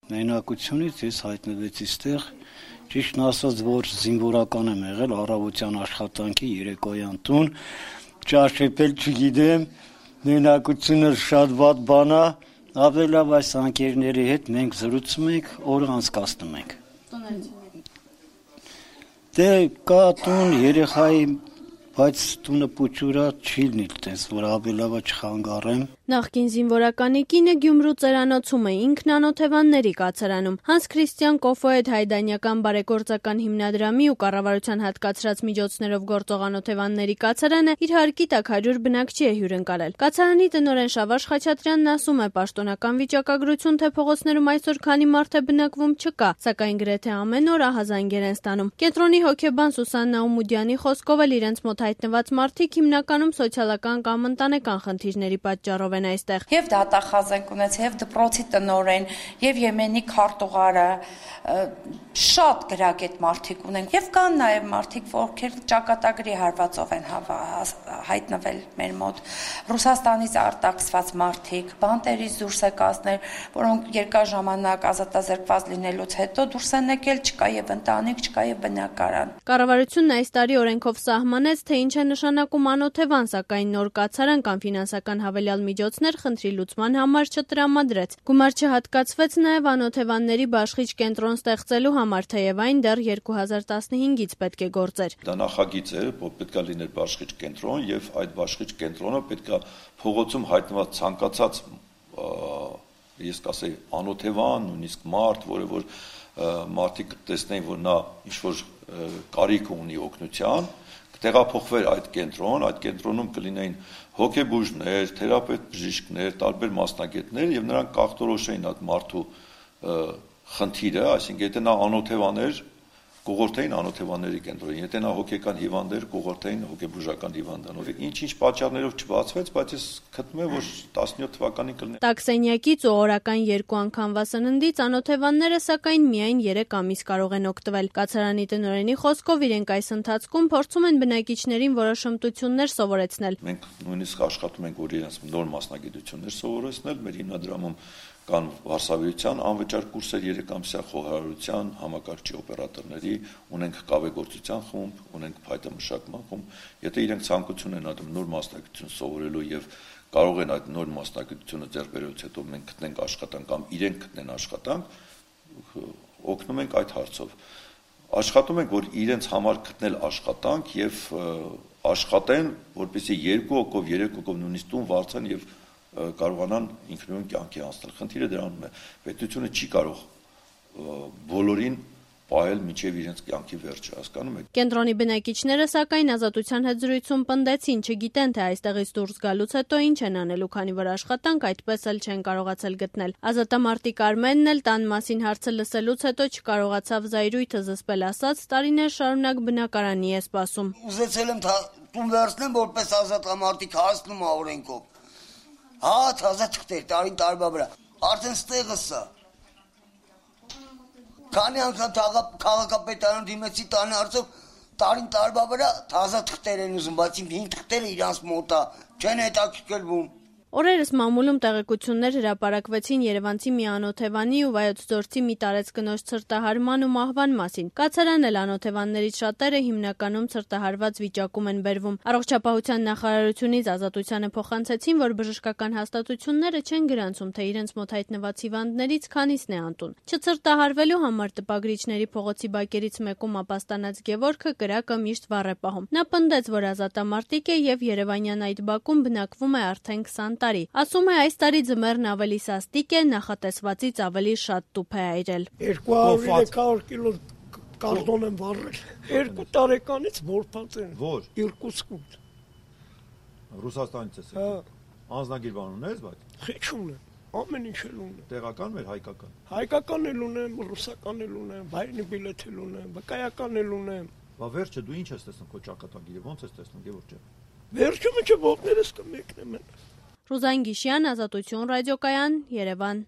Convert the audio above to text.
Մենակությունից ես հայտնվեցի ստեղ, ճիշտն ասած, որ զինվորական եմ եղել, առավոտյան աշխատանքի, երեկոյան տուն, ճաշեպել չգիտեմ, մենակությունը շատ վատ բան է, ավելի լավ այս անկերների հետ մենք զրուցում ենք, օրը անցկացնում ենք։ Դե կա տուն, երեխայի, բայց տունը փուչուրա չի լինի, տես որ ավելի լավ չխանգարեմ։ Նախկին զինվորականի կինը Գյումրու ծերանոցում է, ինքն անօթևանների կացարանում։ Հանս Քրիստիան Կոֆոեդ հայդանյական բարեգործական հիմնադրամի ու կառավարության հատկացրած միջոցներով գործող անօթևանների կացարանը իր հարկի տակ 100 բնակչի է հյուրընկալել։ Կացարանի տնօրեն Շավարժ Խաչատրյանն ասում է, պաշտոնական վիճակագրություն, թե փողոցներում այսօր քանի մարդ է բնակվում չկա, սակայն գրեթե ամեն օր ահազանգեր են ստանում։ Կենտրոնի հոգեբան Սուսաննա Ումուդյանի խոսքով էլ իրենց մոտ հայտնված մարդիկ հիմնականում սոցիալական կամ ընտանեկան խնդիրների պատճառով են այստեղ։ Եվ դատախազ ենք ունեցել, եւ դպրոցի տնօրեն, եւ Եմենի քարտուղարը, շատ գրագետ մարդիկ ունենք, եւ կան նաեւ մարդիկ, ովքեր ճակատագրի հարվածով են հայտնվել մեր մոտ, Ռուսաստանից արտաքսված մարդիկ, բանտերից դուրս եկածներ, որոնք երկար ժամանակ ազատազրկված լինելուց հետո դուրս են եկել, չկա եւ ընտանիք, չկա եւ բնակարան։ Կառավարությունն այս տարի օրենքով սահմանեց, թե ինչ է նշանակում անօթևան, սակայն նոր կացարան կամ ֆինանսական հավելյալ միջոցներ խնդրի լուծման համար չտրամադրեց։ Գումար չհատկացվեց նաև անօթևանների բաշխիչ կենտրոն ստեղծելու համար, թեև այն դեռ 2015-ից պետք է գործեր։ Դա նախագիծ էր, որ պետք է լիներ բաշխիչ կենտրոն եւ այդ բաշխիչ կենտրոնը պետք է փողոցում հայտնված ցանկացած ես կասեի անօթևան, նույնիսկ մարդ, որը որ մարդիկ տեսնեն, որ նա ինչ որ կարիք ունի օգնության, տեղափոխվեր այդ կենտրոնում կլինեին հոգեբուժներ, թերապետ բժիշկներ, տարբեր մասնագետներ եւ նրանք կախտորոշեին այդ մարդու խնդիրը, այսինքն եթե նա անօթևան էր, կողորթեին անօթևանների կենտրոնին, եթե նա հոգեկան հիվանդ էր, կողորթեին հոգեբուժական հիվանդանոցի։ Ինչ-ինչ պատճառներով չբացվեց, բայց ես գտնում եմ, որ 17 թվականին կլինի։ Տաքսենյակից ու օրական 2 անգամվա սննդից անօթևանները սակայն միայն 3 ամիս կարող են օգտվել։ Կացարանի տնօրենի խոսքով իրենք այս ընթացքում փորձում են բնակիչներին որոշ հմտություններ սովորեցնել։ Մենք նույնիսկ աշխատում ենք, որ իրենց նոր մասնագիտություններ սովորեցնել, մեր հիմնադրամում կան վարսավիրության անվճար կուրսեր 3 ամսյա խոհարարության, համակարգչի օպերատորների, ունենք կավեգործության խումբ, ունենք փայտամշակման խումբ։ Եթե իրենք ցանկություն են անում նոր մասնագիտություն սովորելու եւ կարող են այդ նոր մասնագիտությունը ձեռք բերելուց հետո մենք գտնենք աշխատանք կամ իրենք գտնեն աշխատանք, օգնում ենք այդ հարցով։ Աշխատում ենք, որ իրենց համար գտնել աշխատանք եւ աշխատեն, որպեսզի 2 հոգով, 3 հոգով նույնիսկ տուն վարձան եւ կարողանան ինքնուրույն կյանքի անցնել։ Խնդիրը դրանում է։ Պետությունը չի կարող բոլորին պահել մինչև իրենց կյանքի վերջը, հասկանում եք։ Կենտրոնի բնակիչները սակայն Ազատության հետ զրույցում պնդեցին, չգիտեն, թե այստեղից դուրս գալուց հետո ինչ են անելու, քանի որ աշխատանք այդպես էլ չեն կարողացել գտնել։ Ազատամարտիկ Արմենն էլ տան մասին հարցը լսելուց հետո չկարողացավ զայրույթը զսպել, ասաց, տարիներ շարունակ բնակարանի է սպասում։ Ուզեցել եմ տուն վերցնեմ, որպես ազատամարտիկ հասնում ա օրենքով։ Հա, թազա թղթեր, տարին տարվա վրա, արդեն ստեղը սա։ Քանի անգամ քաղաքապետարան դիմեցի տանի հարցով, տարին տարվա վրա թազա թղթեր են ուզում, բայց իմ 5 թղթերը իրանց մոտ է, չեն հետաքրքրվում։ Օրերս մամուլում տեղեկություններ հրապարակվեցին Երևանցի մի անօթևանի ու Վայոց ձորցի մի տարեցկնոջ ցրտահարման ու մահվան մասին։ Կացարան էլ անօթևաններից շատերը հիմնականում ցրտահարված վիճակում են բերվում։ Առողջապահության նախարարությունից Ազատությանը փոխանցեցին, որ բժշկական հաստատությունները չեն գրանցում, թե իրենց մոտ հայտնված հիվանդներից քանիսն է անտուն։ Չցրտահարվելու համար տպագրիչների փողոցի բակերից մեկում ապաստանած Գևորգը կրակը միշտ վառ է պահում։ Նա պնդեց, որ ազատամարտիկ է եւ Երևանյան այդ բակում բնակվում է արդեն 20 տարի։ Ասում է, այս տարի ձմեռն ավելի սաստիկ է, նախատեսվածից ավելի շատ տուփ է այրել։ 200-300 կիլո կարտոն եմ վառել։ 2 տարեկանից որփած են։ Որ? Իրկուտսկում։ Ռուսաստանից ես եկել։ Անձնագիր բան ունես, բայց։ Քիչ ունեմ։ Ամեն ինչ էլ ունեմ։ Տեղական մեր հայկական։ Հայկական էլ ունեմ, ռուսական էլ ունեմ, բայնի բիլետ էլ ունեմ, վկայական էլ ունեմ։ Բա վերջը դու ինչ ես տեսնում քո ճակատագիրը, ո՞նց ես տեսնում, Գևորգ ջան։ Վերջը մինչև ոտներս կմեկնեմ։ Ռուզան Գիշյան, Ազատություն ռադիոկայան, Երևան։